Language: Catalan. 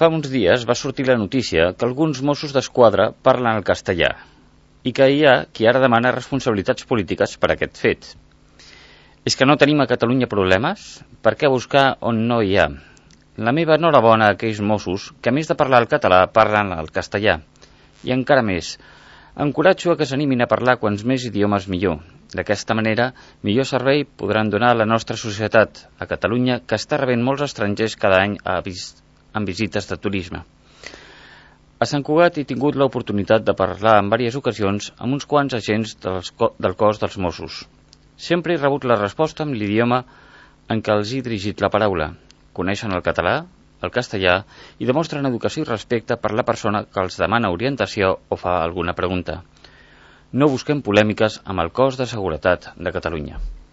Fa uns dies va sortir la notícia que alguns Mossos d'Esquadra parlen el castellà i que hi ha qui ara demana responsabilitats polítiques per aquest fet. És que no tenim a Catalunya problemes? Per què buscar on no hi ha? La meva enhorabona a aquells Mossos que, a més de parlar el català, parlen el castellà. I encara més, encoratjo a que s'animin a parlar quants més idiomes millor. D'aquesta manera, millor servei podran donar a la nostra societat, a Catalunya, que està rebent molts estrangers cada any en visites de turisme. A Sant Cugat he tingut l'oportunitat de parlar en diverses ocasions amb uns quants agents del cos dels Mossos. Sempre he rebut la resposta amb l'idioma en què els he dirigit la paraula. Coneixen el català, el castellà i demostren educació i respecte per la persona que els demana orientació o fa alguna pregunta. No busquem polèmiques amb el cos de seguretat de Catalunya.